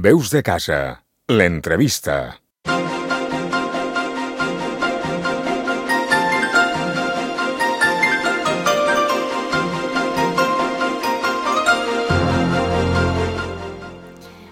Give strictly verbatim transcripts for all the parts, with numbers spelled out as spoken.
Veus de casa, l'entrevista.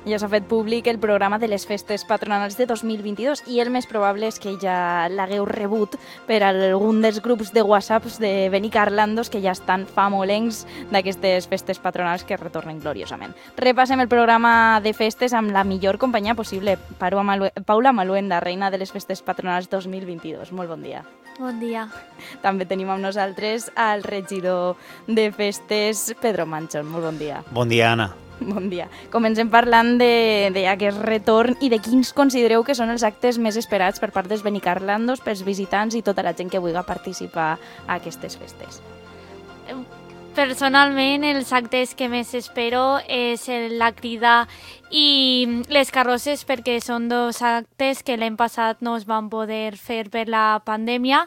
Ja s'ha fet públic el programa de les festes patronals de dos mil vint-i-dos i el més probable és que ja l'hagueu rebut per algun dels grups de WhatsApps de Benicarlandos que ja estan famolencs d'aquestes festes patronals que retornen gloriosament. Repassem el programa de festes amb la millor companyia possible. Paula Maluenda, reina de les festes patronals dos mil vint-i-dos. Molt bon dia. Bon dia. També tenim amb nosaltres el regidor de festes, Pedro Manchón. Molt bon dia. Bon dia, Anna. Bon dia. Comencem parlant d'aquest retorn i de quins considereu que són els actes més esperats per part dels Benicarlandos, pels visitants i tota la gent que vulgui participar a aquestes festes. Personalment, els actes que més espero és la crida i les carrosses, perquè són dos actes que l'any passat no es van poder fer per la pandèmia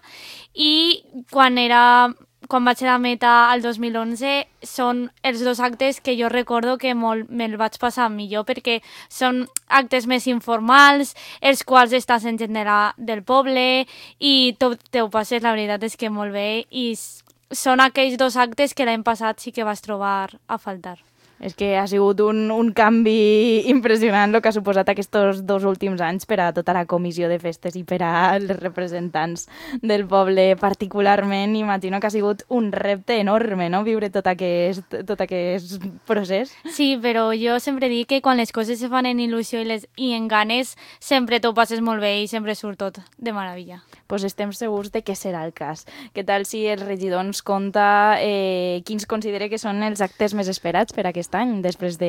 i quan era... Quan vaig a la meta al dos mil onze, són els dos actes que jo recordo que molt me'l vaig passar millor perquè són actes més informals, els quals estàs en gent de la, del poble i tot te ho passes, la veritat és que molt bé, i són aquells dos actes que l'any passat sí que vas trobar a faltar. És que ha sigut un, un canvi impressionant el que ha suposat aquests dos últims anys per a tota la comissió de festes i per als representants del poble particularment. Imagino que ha sigut un repte enorme, no?, viure tot aquest, tot aquest procés. Sí, però jo sempre dic que quan les coses se fan en il·lusió i, les, i en ganes, sempre t'ho passes molt bé i sempre surt tot de meravella. Pues estem segurs de que serà el cas. Què tal si el regidor ens conta eh, quins considera que són els actes més esperats per aquest any, després de,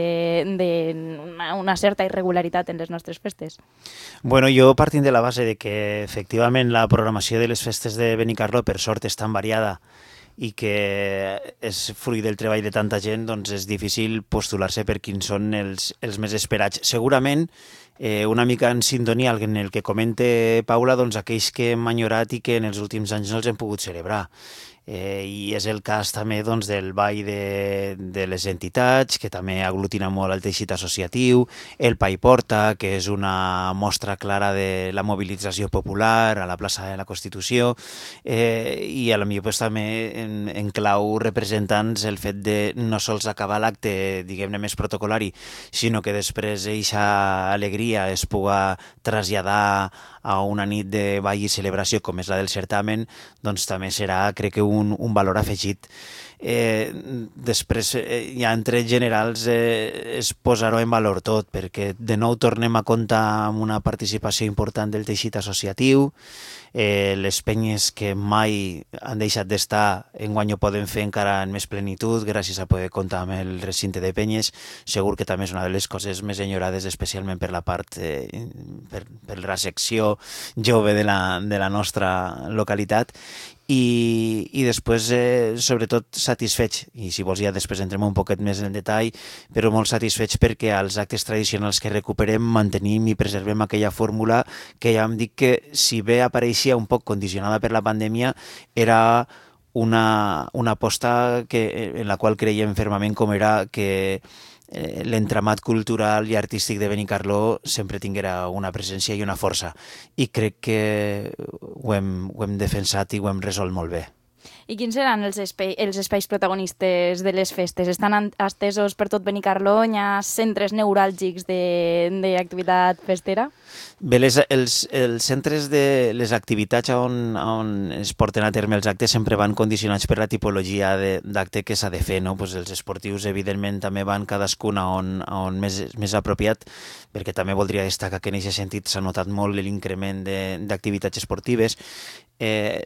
de una, una certa irregularitat en les nostres festes? Bueno, jo partint de la base de que efectivament la programació de les festes de Benicarló per sort és tan variada i que és fruit del treball de tanta gent, doncs és difícil postular-se per quins són els, els més esperats. Segurament, eh, una mica en sintonia en el que comente Paula, doncs aquells que hem enyorat i que en els últims anys no els hem pogut celebrar. Eh, I és el cas també doncs, del ball de, de les entitats, que també aglutina molt el teixit associatiu, el Pa i Porta, que és una mostra clara de la mobilització popular a la plaça de la Constitució, eh, i a la millor pues, també en, en clau representants el fet de no sols acabar l'acte, diguem-ne, més protocolari, sinó que després eixa alegria es puga traslladar a una nit de ball i celebració com és la del certamen, doncs també serà, crec que, un, un valor afegit. Eh, després, eh, ja en trets generals, eh, es posarà en valor tot, perquè de nou tornem a comptar amb una participació important del teixit associatiu, eh, les penyes que mai han deixat d'estar enguany ho poden fer encara en més plenitud gràcies a poder comptar amb el recinte de penyes. Segur que també és una de les coses més enyorades, especialment per la part, eh, per, per la secció jove de la, de la nostra localitat. I, i després, eh, sobretot, satisfeig, i si vols ja després entrem un poquet més en detall, però molt satisfeig perquè als actes tradicionals que recuperem mantenim i preservem aquella fórmula que ja em dic que, si bé apareixia un poc condicionada per la pandèmia, era una, una aposta que, en la qual creiem fermament, com era que eh, l'entramat cultural i artístic de Benicarló sempre tinguera una presència i una força. I crec que ho hem, ho hem defensat i ho hem resolt molt bé. I quins seran els, espai, els espais protagonistes de les festes? Estan estesos per tot Benicarló? Hi ha centres neuràlgics d'activitat festera? Bé, les, els, els centres de les activitats on, on es porten a terme els actes sempre van condicionats per la tipologia d'acte que s'ha de fer, no? Pues els esportius, evidentment, també van cadascun a on, a on més, més apropiat, perquè també voldria destacar que en aquest sentit s'ha notat molt l'increment d'activitats esportives. Eh,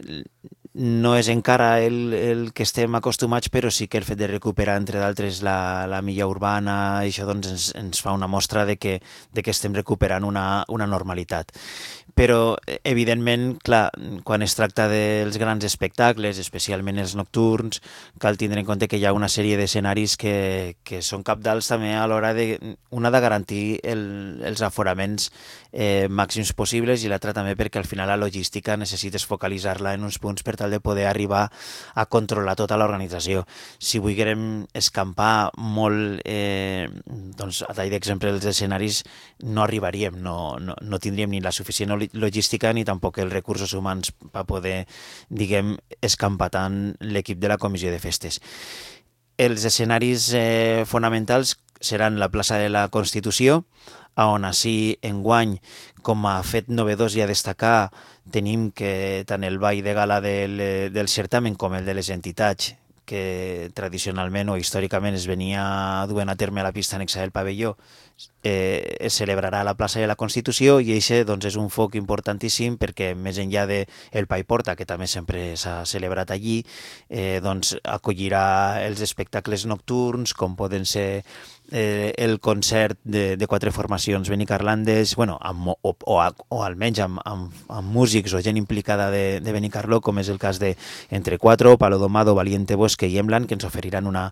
no és encara el, el que estem acostumats, però sí que el fet de recuperar, entre d'altres, la, la milla urbana, això doncs ens, ens fa una mostra de que, de que estem recuperant una, una normalitat. però evidentment, clar, quan es tracta dels grans espectacles, especialment els nocturns, cal tindre en compte que hi ha una sèrie d'escenaris que, que són cabdals també a l'hora de, una, de garantir el, els aforaments eh, màxims possibles i l'altra també perquè al final la logística necessites focalitzar-la en uns punts per tal de poder arribar a controlar tota l'organització. Si volguérem escampar molt, eh, doncs a tall d'exemple els escenaris, no arribaríem, no, no, no tindríem ni la suficient logística ni tampoc els recursos humans per poder, diguem, escampar tant l'equip de la comissió de festes. Els escenaris eh, fonamentals seran la plaça de la Constitució, on així enguany, com a fet novedós i a destacar, tenim que tant el ball de gala del, del certamen com el de les entitats, que tradicionalment o històricament es venia duent a terme a la pista anexa del pavelló, eh, es celebrarà a la plaça de la Constitució i això doncs, és un foc importantíssim perquè més enllà del Pai Porta, que també sempre s'ha celebrat allí, eh, doncs, acollirà els espectacles nocturns, com poden ser eh, el concert de, de quatre formacions benicarlandes, bueno, amb, o, o, o almenys amb, amb, amb músics o gent implicada de, de Benicarló, com és el cas de Entre Cuatro, Palo Domado, Valiente Bosque i Emlan, que ens oferiran una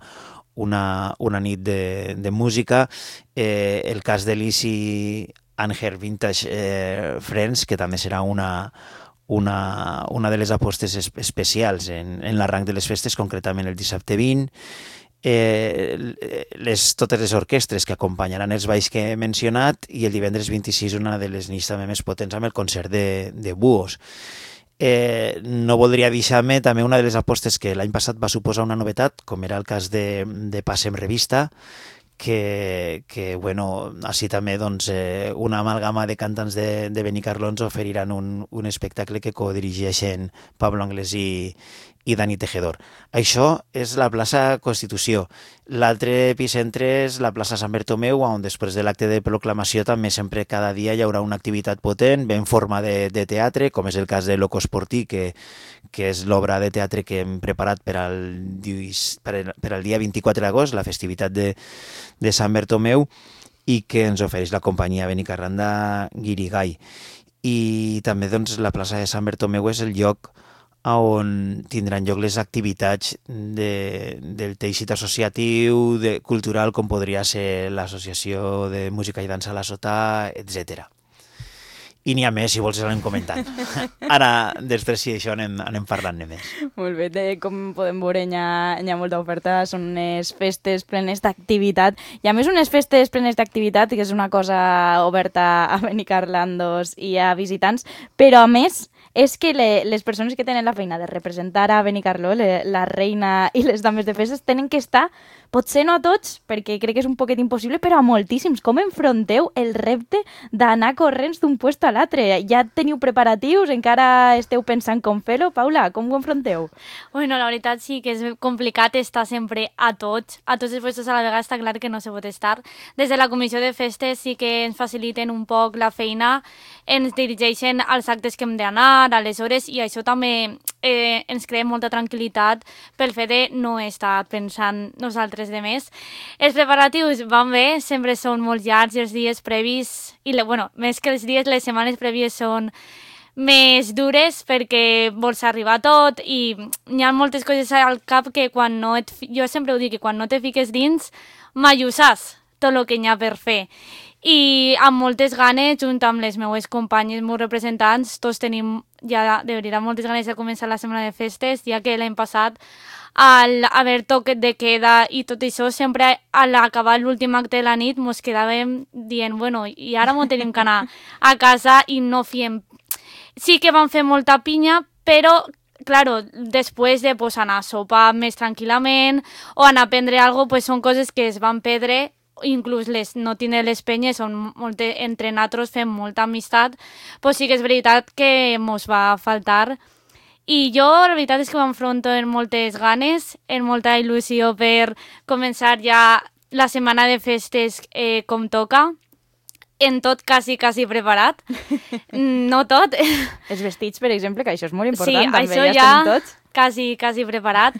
Una, una nit de, de música, eh, el cas de l'Easy Anger Vintage eh, Friends, que també serà una, una, una de les apostes es, especials en, en l'arranc de les festes, concretament el dissabte vint, eh, les, totes les orquestres que acompanyaran els balls que he mencionat i el divendres vint-i-sis una de les nits també més potents amb el concert de, de Buos. Eh, no voldria deixar-me també una de les apostes que l'any passat va suposar una novetat, com era el cas de, de Passem Revista, que, que bueno, així també doncs, eh, una amalgama de cantants de, de Benicarló ens oferiran un, un espectacle que codirigeixen Pablo Anglès i, i Dani Tejedor. Això és la plaça Constitució. L'altre epicentre és la plaça Sant Bertomeu, on després de l'acte de proclamació també sempre cada dia hi haurà una activitat potent, ben forma de, de teatre, com és el cas de Loco Sportí, que, que és l'obra de teatre que hem preparat per al, per, per al dia vint-i-quatre d'agost, la festivitat de, de Sant Bertomeu, i que ens ofereix la companyia Benicarlanda Guirigall. I també doncs, la plaça de Sant Bertomeu és el lloc on tindran lloc les activitats de, del teixit associatiu, de, cultural, com podria ser l'Associació de Música i Dansa a la Sotà, etcètera. I n'hi ha més, si vols anem comentant. Ara, després, si això anem, anem parlant-ne més. Molt bé, de, com podem veure, hi ha, hi ha molta oferta, són unes festes plenes d'activitat, i a més unes festes plenes d'activitat, que és una cosa oberta a Benicarlandos i a visitants, però a més és que le, les persones que tenen la feina de representar a Benicarló, le, la reina i les dames de festes, tenen que estar, potser no a tots, perquè crec que és un poquet impossible, però a moltíssims. Com enfronteu el repte d'anar corrents d'un puesto a l'altre? Ja teniu preparatius? Encara esteu pensant com fer-ho? Paula, com ho enfronteu? Bueno, la veritat sí que és complicat estar sempre a tots, a tots els puestos a la vegada, està clar que no se pot estar. Des de la comissió de festes sí que ens faciliten un poc la feina, ens dirigeixen als actes que hem d'anar, a les hores, i això també eh, ens crea molta tranquil·litat pel fet de no estar pensant nosaltres de més. Els preparatius van bé, sempre són molt llargs els dies previs, i bueno, més que els dies, les setmanes prèvies són més dures perquè vols arribar a tot i hi ha moltes coses al cap que quan no et... Jo sempre ho dic, que quan no te fiques dins, mai ho saps, tot el que hi ha per fer. I amb moltes ganes, junt amb les meues companyes, meus representants, tots tenim ja de veritat moltes ganes de començar la setmana de festes, ja que l'any passat, al haver toquet de queda i tot això, sempre a l'acabar l'últim acte de la nit mos quedàvem dient, bueno, i ara m'ho tenim que anar a casa i no fiem. Sí que vam fer molta pinya, però claro, després de pues, anar a sopar més tranquil·lament o anar a prendre alguna cosa, pues, són coses que es van perdre, inclús les, no tindre les penyes, on molt, entre nosaltres fem molta amistat, pues sí que és veritat que mos va faltar. I jo, la veritat és que m'enfronto amb moltes ganes, amb molta il·lusió per començar ja la setmana de festes eh, com toca, en tot quasi, quasi preparat. No tot. Els vestits, per exemple, que això és molt important. Sí, també, això ja, ja estem tots. quasi, quasi preparat.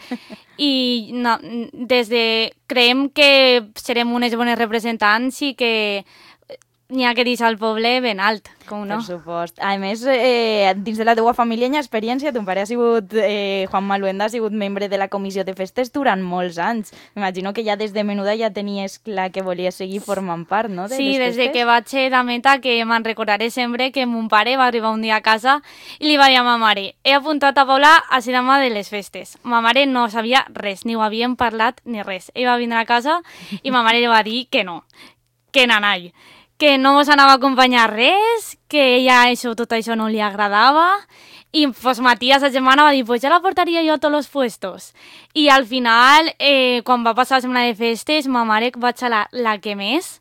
I no, des de... creiem que serem unes bones representants i que n'hi ha que deixar el poble ben alt, com no? Per supost. A més, eh, dins de la teua família hi ha experiència. Ton pare ha sigut, eh, Juan Maluenda, ha sigut membre de la comissió de festes durant molts anys. M'imagino que ja des de menuda ja tenies clar que volies seguir formant part, no?, de sí, les des de festes. que vaig ser de meta, que me'n recordaré sempre que mon pare va arribar un dia a casa i li va dir a ma mare: he apuntat a Paula a ser dama de les festes. Ma mare no sabia res, ni ho havien parlat ni res. Ell va vindre a casa i ma mare li va dir que no, que nanai, que no mos anava a acompanyar res, que ella això, tot això no li agradava. I pues, Matías, la germana, va dir, pues ja la portaria jo a tots els puestos. I al final, eh, quan va passar la setmana de festes, ma mare va ser la, la que més,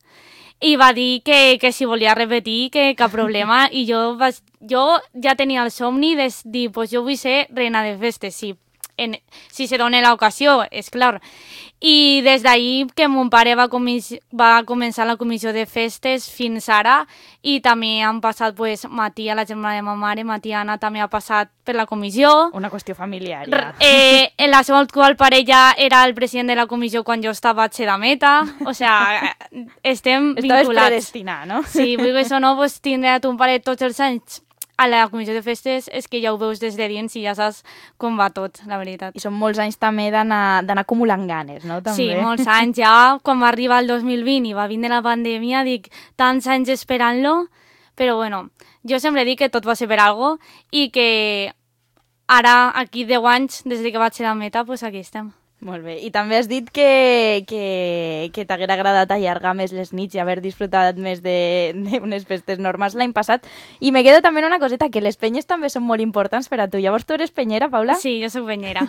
i va dir que, que si volia repetir, que cap problema. I jo, vaig, jo ja tenia el somni de dir, pues jo vull ser reina de festes, sí. En, si se dona l'ocasió, és clar. I des d'ahir que mon pare va, va començar la comissió de festes fins ara, i també han passat, pues, Matia, la germana de ma mare, Matiana també ha passat per la comissió. Una qüestió familiar, ja. Eh, en la seva actual parella era el president de la comissió quan jo estava a Xedameta. O sea, estem vinculats. Estaves predestinat, no? Sí, vull que això no, pues, tindre a ton pare tots els anys a la comissió de festes, és que ja ho veus des de dins i ja saps com va tot, la veritat. I són molts anys també d'anar acumulant ganes, no? També. Sí, molts anys. Ja quan va arribar el dos mil vint i va vindre la pandèmia, dic, tants anys esperant-lo, però bueno, jo sempre dic que tot va ser per algo i que ara, aquí deu anys, des que vaig ser a meta, pues aquí estem. Molt bé. I també has dit que, que, que t'haguera agradat allargar més les nits i haver disfrutat més d'unes festes normals l'any passat. I me quedo també en una coseta, que les penyes també són molt importants per a tu. Llavors tu eres penyera, Paula? Sí, jo sóc penyera.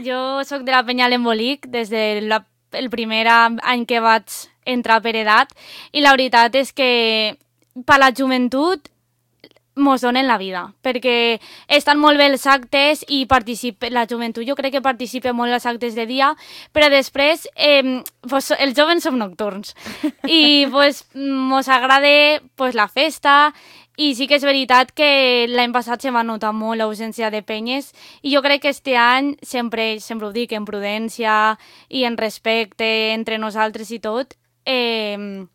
Jo sóc de la penya L'Embolic des del de primer any que vaig entrar per edat, i la veritat és que per la joventut mos donen la vida, perquè estan molt bé els actes i participa, la joventut jo crec que participa molt als actes de dia, però després eh, pues, els joves som nocturns i pues, mos agrada pues, la festa, i sí que és veritat que l'any passat se va notar molt l'ausència de penyes, i jo crec que este any sempre, sempre ho dic, en prudència i en respecte entre nosaltres i tot, eh,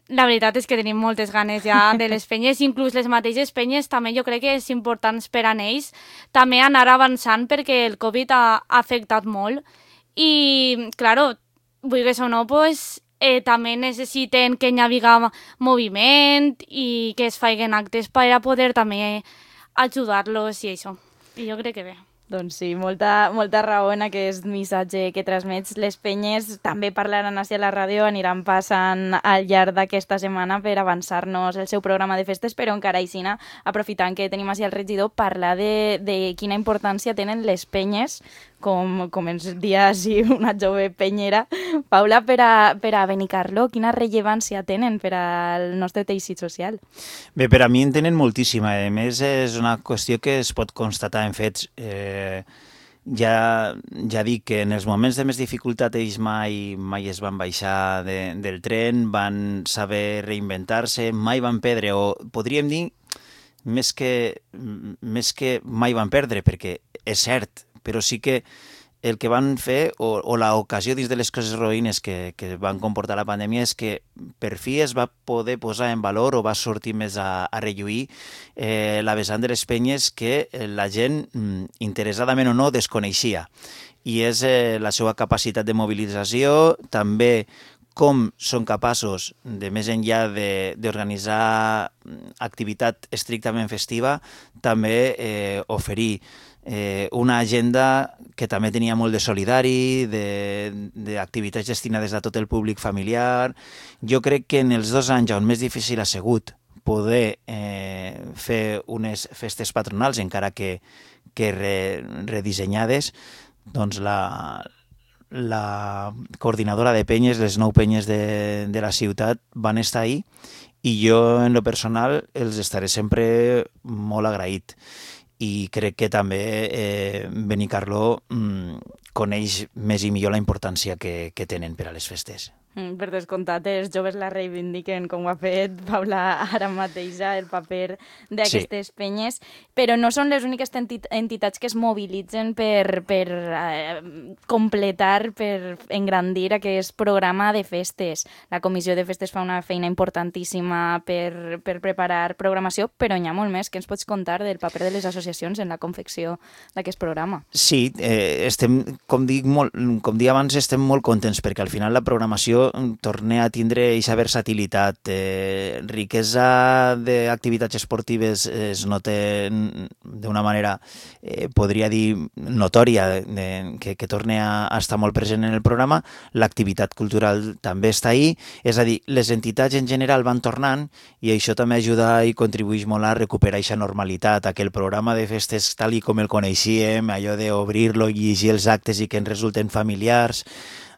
la veritat és que tenim moltes ganes ja de les penyes, inclús les mateixes penyes també jo crec que és important per a ells també anar avançant, perquè el Covid ha afectat molt i, claro, vulguis o no, pues, eh, també necessiten que hi hagi moviment i que es facin actes per a poder també ajudar-los i això. I jo crec que bé. Doncs sí, molta, molta raó en aquest missatge que transmets. Les penyes també parlaran així a la ràdio, aniran passant al llarg d'aquesta setmana per avançar-nos el seu programa de festes, però encara aixina, aprofitant que tenim així el regidor, parlar de, de quina importància tenen les penyes, com, com ens dia així una jove penyera. Paula, per a, per a Benicarló, quina rellevància tenen per al nostre teixit social? Bé, per a mi en tenen moltíssima. A més, és una qüestió que es pot constatar en fets. Eh, ja, ja dic que en els moments de més dificultat ells mai, mai es van baixar de, del tren, van saber reinventar-se, mai van perdre, o podríem dir més que, més que mai van perdre, perquè és cert, però sí que el que van fer, o, o l'ocasió dins de les coses roïnes que, que van comportar la pandèmia, és que per fi es va poder posar en valor o va sortir més a, a relluir eh, la vessant de les penyes que la gent, interessadament o no, desconeixia. I és eh, la seva capacitat de mobilització, també com són capaços, de més enllà d'organitzar activitat estrictament festiva, també eh, oferir Eh, una agenda que també tenia molt de solidari, d'activitats destinades a tot el públic familiar. Jo crec que en els dos anys on més difícil ha sigut poder eh, fer unes festes patronals, encara que, que re, redissenyades, doncs la, la coordinadora de penyes, les nou penyes de, de la ciutat, van estar ahí, i jo en lo personal els estaré sempre molt agraït. I crec que també eh, Benicarló mm, coneix més i millor la importància que, que tenen per a les festes. Mm, per descomptat, els joves la reivindiquen, com ho ha fet Paula ara mateix, el paper d'aquestes sí. penyes, però no són les úniques enti- entitats que es mobilitzen per, per eh, completar, per engrandir aquest programa de festes. La Comissió de Festes fa una feina importantíssima per, per preparar programació, però n'hi ha molt més. Què ens pots contar del paper de les associacions en la confecció d'aquest programa? Sí, eh, estem, com dic, molt, com dic abans, estem molt contents perquè al final la programació torna a tindre aquesta versatilitat. Eh, riquesa d'activitats esportives es nota d'una manera, eh, podria dir, notòria, de, que, que torna a, a estar molt present en el programa. L'activitat cultural també està ahí, és a dir, les entitats en general van tornant i això també ajuda i contribueix molt a recuperar aquesta normalitat, a que el programa de festes tal i com el coneixíem, allò d'obrir-lo i llegir els actes i que ens resulten familiars,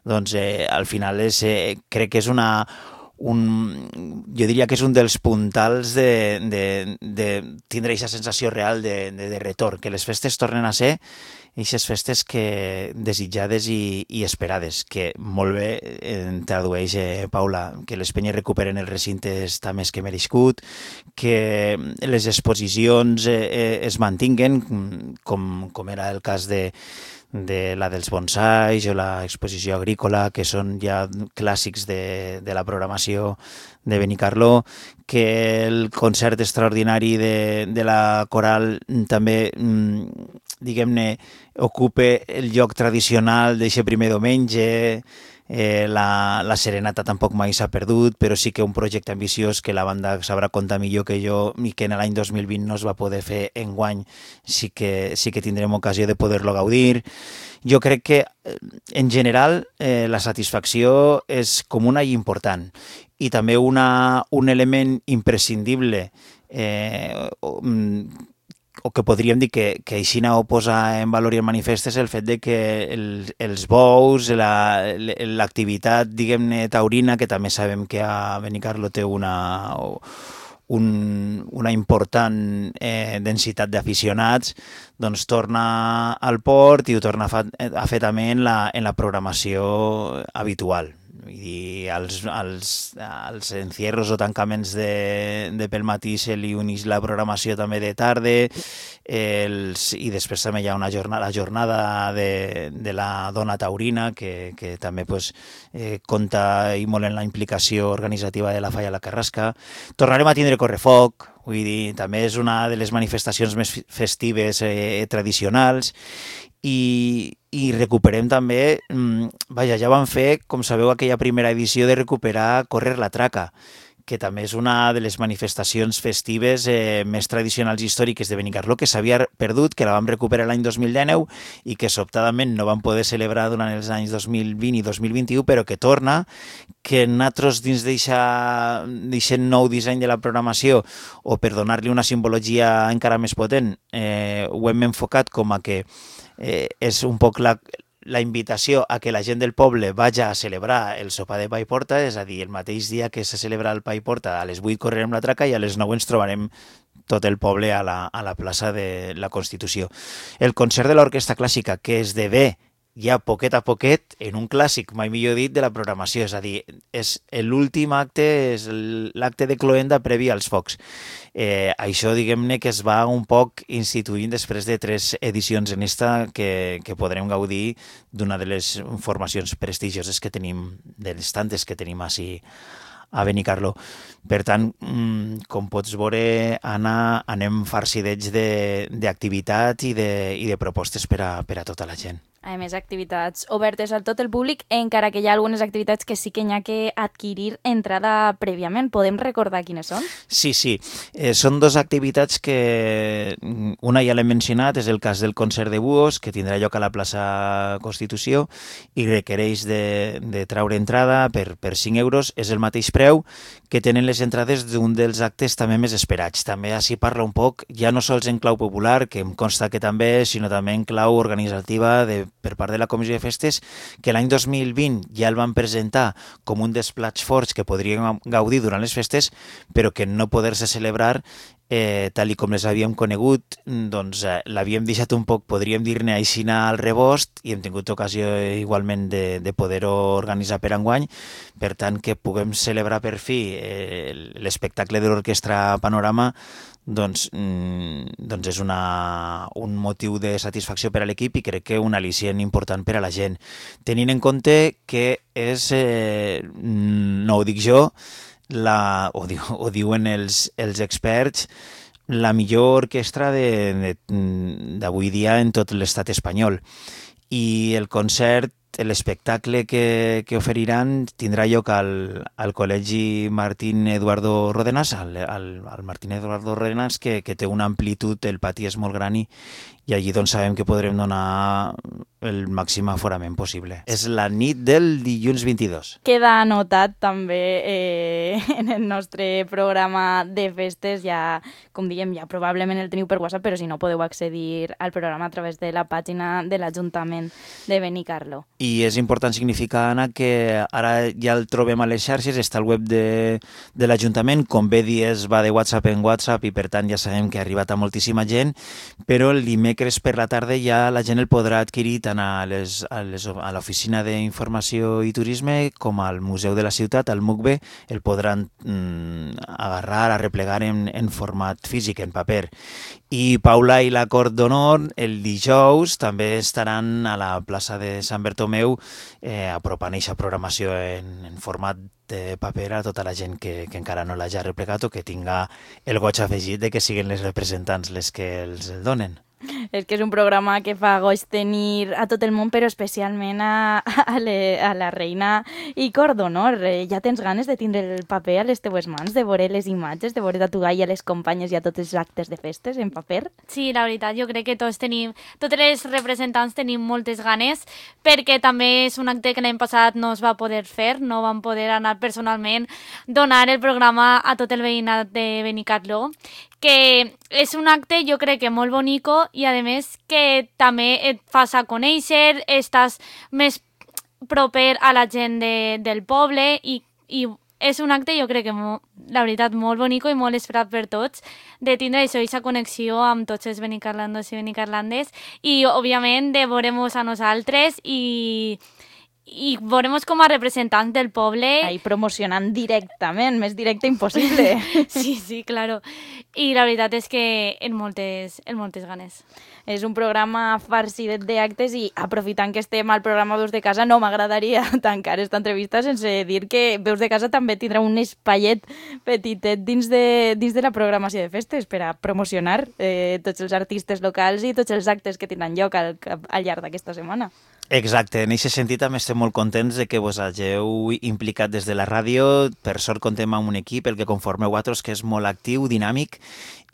doncs eh, al final és, eh, crec que és una... Un, jo diria que és un dels puntals de, de, de tindre aquesta sensació real de, de, de retorn, que les festes tornen a ser aquestes festes que desitjades i, i esperades, que molt bé eh, tradueix eh, Paula, que les penyes recuperen el recinte està més que merescut, que les exposicions eh, eh, es mantinguen, com, com era el cas de de la dels bonsais o l'exposició agrícola, que són ja clàssics de, de la programació de Benicarló, que el concert extraordinari de, de la coral també, diguem-ne, ocupe el lloc tradicional d'aquest primer diumenge. Eh, la, la serenata tampoc mai s'ha perdut, però sí que un projecte ambiciós que la banda sabrà comptar millor que jo i que en l'any dos mil vint no es va poder fer enguany, sí que, sí que tindrem ocasió de poder-lo gaudir. Jo crec que, en general, eh, la satisfacció és comuna i important. I també una, un element imprescindible eh, o que podríem dir que, que Aixina ho posa en valor i en manifest és el fet de que el, els bous, la, l'activitat, diguem-ne, taurina, que també sabem que a Benicarló té una, un, una important eh, densitat d'aficionats, doncs torna al port i ho torna a, fa, a fer també en la, en la programació habitual. Vull dir, als, als, als encierros o tancaments de, de pel matí se li uneix la programació també de tarda, els, i després també hi ha una jornada, la jornada de, de la dona taurina, que, que també pues, eh, compta i molt en la implicació organitzativa de la Falla la Carrasca. Tornarem a tindre correfoc, vull dir, també és una de les manifestacions més festives eh, tradicionals, i, i recuperem també, vaja, ja vam fer, com sabeu, aquella primera edició de recuperar Córrer la Traca, que també és una de les manifestacions festives eh, més tradicionals i històriques de Benicarló, que s'havia perdut, que la vam recuperar l'any dos mil dinou i que sobtadament no vam poder celebrar durant els anys dos mil vint i dos mil vint-i-u, però que torna, que nosaltres dins d'aquest nou disseny de la programació, o per donar-li una simbologia encara més potent, eh, ho hem enfocat com a que eh, és un poc la, la invitació a que la gent del poble vaja a celebrar el sopar de pa i porta, és a dir, el mateix dia que se celebra el pa i porta, a les vuit correrem la traca i a les nou ens trobarem tot el poble a la, a la plaça de la Constitució. El concert de l'Orquestra Clàssica, que esdevé ja poquet a poquet en un clàssic, mai millor dit, de la programació, és a dir, és l'últim acte, és l'acte de cloenda previ als focs. Eh, això, diguem-ne, que es va un poc instituint després de tres edicions en esta que, que podrem gaudir d'una de les formacions prestigioses que tenim, de les tantes que tenim així a Benicarló. Per tant, com pots veure, Anna, anem farcidets d'activitat i, de, i de propostes per a, per a tota la gent. A més, activitats obertes a tot el públic, encara que hi ha algunes activitats que sí que hi ha que adquirir entrada prèviament. Podem recordar quines són? Sí, sí. Eh, són dues activitats que una ja l'he mencionat, és el cas del concert de Buos, que tindrà lloc a la plaça Constitució i requereix de, de traure entrada per, per cinc euros. És el mateix preu que tenen les entrades d'un dels actes també més esperats. També així parla un poc, ja no sols en clau popular, que em consta que també, sinó també en clau organitzativa de per part de la Comissió de Festes, que l'any dos mil vint ja el van presentar com un dels plats forts que podríem gaudir durant les festes, però que no poder-se celebrar eh, tal i com les havíem conegut, doncs eh, l'havíem deixat un poc, podríem dir-ne aixina al rebost, i hem tingut ocasió igualment de, de poder-ho organitzar per enguany, per tant que puguem celebrar per fi eh, l'espectacle de l'Orquestra Panorama, doncs, mm, doncs és una, un motiu de satisfacció per a l'equip i crec que un al·licient important per a la gent. Tenint en compte que és, eh, no ho dic jo, la, ho, diu, ho diuen els, els experts, la millor orquestra d'avui dia en tot l'estat espanyol. I el concert, l'espectacle que, que oferiran tindrà lloc al, al Col·legi Martín Eduardo Rodenas, al, al, al Martín Eduardo Rodenas, que, que té una amplitud, el pati és molt gran i, i allí doncs sabem que podrem donar el màxim aforament possible. És la nit del dilluns vint-i-dos. Queda anotat també eh, en el nostre programa de festes, ja, com diem, ja probablement el teniu per WhatsApp, però si no podeu accedir al programa a través de la pàgina de l'Ajuntament de Benicarló. I és important significar, Anna, que ara ja el trobem a les xarxes, està al web de, de l'Ajuntament, com bé dies va de WhatsApp en WhatsApp i per tant ja sabem que ha arribat a moltíssima gent, però el dimecres per la tarda ja la gent el podrà adquirir tant a les, a les, a l'Oficina d'Informació i Turisme com al Museu de la Ciutat, al M U C B, el podran mm, agarrar, arreplegar en, en format físic, en paper. I Paula i la Cort d'Honor el dijous també estaran a la plaça de Sant Bertomeu eh, apropant aquesta programació en, en format de paper a tota la gent que, que encara no l'hagi replegat o que tinga el goig afegit de que siguin les representants les que els el donen. És que és un programa que fa goig tenir a tot el món, però especialment a, a, le, a la reina i Cort d'Honor. Eh, ja tens ganes de tindre el paper a les teues mans, de veure les imatges, de veure a tu gai a les companyes i a tots els actes de festes en paper? Sí, la veritat, jo crec que tots tenim, totes les representants tenim moltes ganes, perquè també és un acte que l'any passat no es va poder fer, no vam poder anar personalment, donar el programa a tot el veïnat de Benicarló, que és un acte jo crec que molt bonico i a més que també et fas a conèixer, estàs més proper a la gent de, del poble i, i és un acte jo crec que mo, la veritat molt bonico i molt esperat per tots de tindre això, aquesta connexió amb tots els benicarlandos i benicarlandes i òbviament de veure-nos a nosaltres i i veurem com a representants del poble. Ahí promocionant directament, més directe impossible. Sí, sí, claro. I la veritat és que en moltes, en moltes ganes. És un programa farcidet d'actes i aprofitant que estem al programa Veus de Casa no m'agradaria tancar esta entrevista sense dir que Veus de Casa també tindrà un espaiet petitet dins de, dins de la programació de festes per a promocionar eh, tots els artistes locals i tots els actes que tindran lloc al, al llarg d'aquesta setmana. Exacte, en aquest sentit també estem molt contents de que vos hagueu implicat des de la ràdio. Per sort contem amb un equip, el que conformeu vosaltres, que és molt actiu, dinàmic,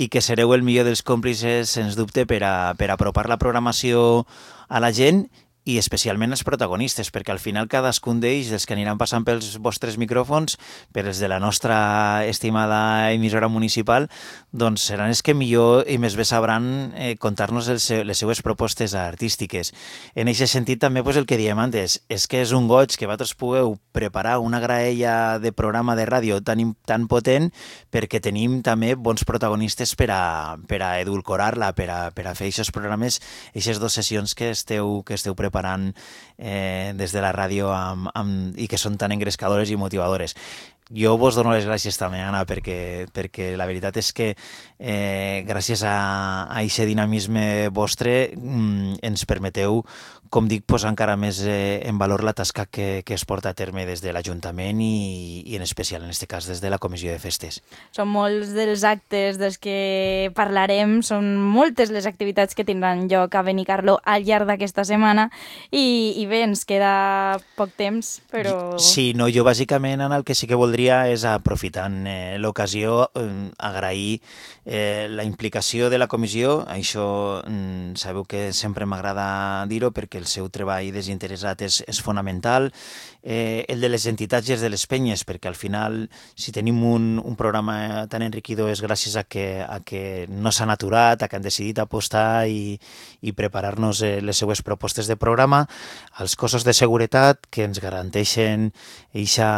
i que sereu el millor dels còmplices, sens dubte, per a, per a apropar la programació a la gent i especialment els protagonistes, perquè al final cadascun d'ells, dels que aniran passant pels vostres micròfons, per els de la nostra estimada emissora municipal, doncs seran els que millor i més bé sabran eh, contar-nos el seu, les seues propostes artístiques. En aquest sentit també pues, el que diem antes, és que és un goig que vosaltres pugueu preparar una graella de programa de ràdio tan, tan potent perquè tenim també bons protagonistes per a, per a edulcorar-la, per a, per a fer aquests programes, aquestes dues sessions que esteu, que esteu preparant preparant eh, des de la ràdio amb, amb, i que són tan engrescadores i motivadores. Jo vos dono les gràcies també, Anna, perquè, perquè la veritat és que eh, gràcies a aquest dinamisme vostre mm, ens permeteu, com dic, posar encara més eh, en valor la tasca que, que es porta a terme des de l'Ajuntament i, i en especial, en aquest cas, des de la Comissió de Festes. Són molts dels actes dels que parlarem, són moltes les activitats que tindran lloc a Benicarló al llarg d'aquesta setmana i, i bé, ens queda poc temps, però... Sí, no, jo bàsicament, Anna, el que sí que voldria és, aprofitant eh, l'ocasió, eh, agrair eh, la implicació de la comissió. Això mm, sabeu que sempre m'agrada dir-ho perquè el seu treball desinteressat és, és fonamental. Eh, el de les entitats i els de les penyes, perquè al final, si tenim un, un programa tan enriquidor és gràcies a que, a que no s'han aturat, a que han decidit apostar i, i preparar-nos eh, les seues propostes de programa, als cossos de seguretat que ens garanteixen eixa,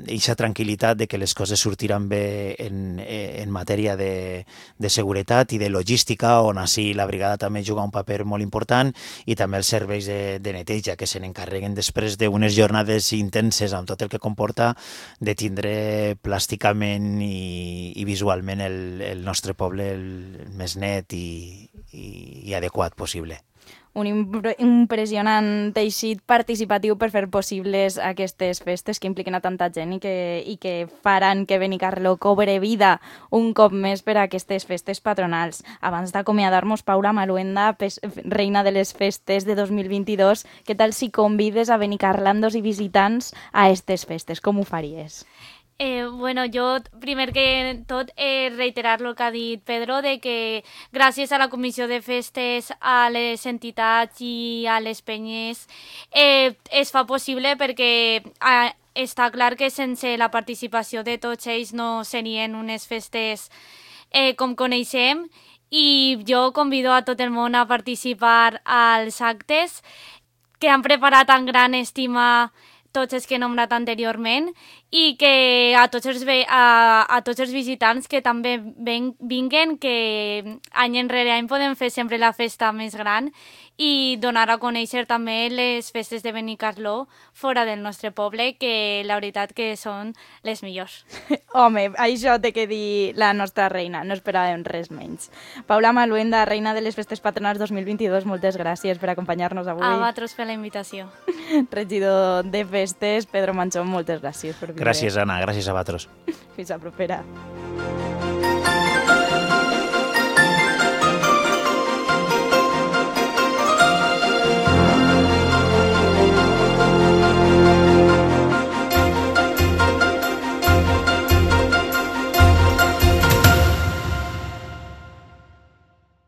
eixa tranquil·litat de que les coses sortiran bé en, en matèria de, de seguretat i de logística, on així la brigada també juga un paper molt important, i també els serveis de, de neteja que se n'encarreguen després d'unes jornades intenses amb tot el que comporta de tindre plàsticament i, i visualment el, el nostre poble el més net i, i, i adequat possible. Un impre impressionant teixit participatiu per fer possibles aquestes festes que impliquen a tanta gent i que, i que faran que Benicarló cobre vida un cop més per a aquestes festes patronals. Abans d'acomiadar-nos, Paula Maluenda, reina de les festes de dos mil vint-i-dos, què tal si convides a benicarlandos i visitants a aquestes festes? Com ho faries? Eh, bueno, jo, primer que tot, eh, reiterar el que ha dit Pedro, de que gràcies a la Comissió de Festes, a les entitats i a les penyes, eh, es fa possible, perquè eh, està clar que sense la participació de tots ells no serien unes festes eh, com coneixem, i jo convido a tot el món a participar als actes que han preparat amb gran estima tots els que he nombrat anteriorment, i que a tots els, a, a tots els visitants que també ven, vinguen, que any enrere any podem fer sempre la festa més gran i donar a conèixer també les festes de Benicarló fora del nostre poble, que la veritat que són les millors. Home, això té que dir la nostra reina, no esperàvem res menys. Paula Maluenda, reina de les festes patronals dos mil vint-i-dos, moltes gràcies per acompanyar-nos avui. A vosaltres per la invitació. Regidor de festes, Pedro Manchón, moltes gràcies per vindre. Gràcies, Anna, gràcies a vosaltres. Fins a propera.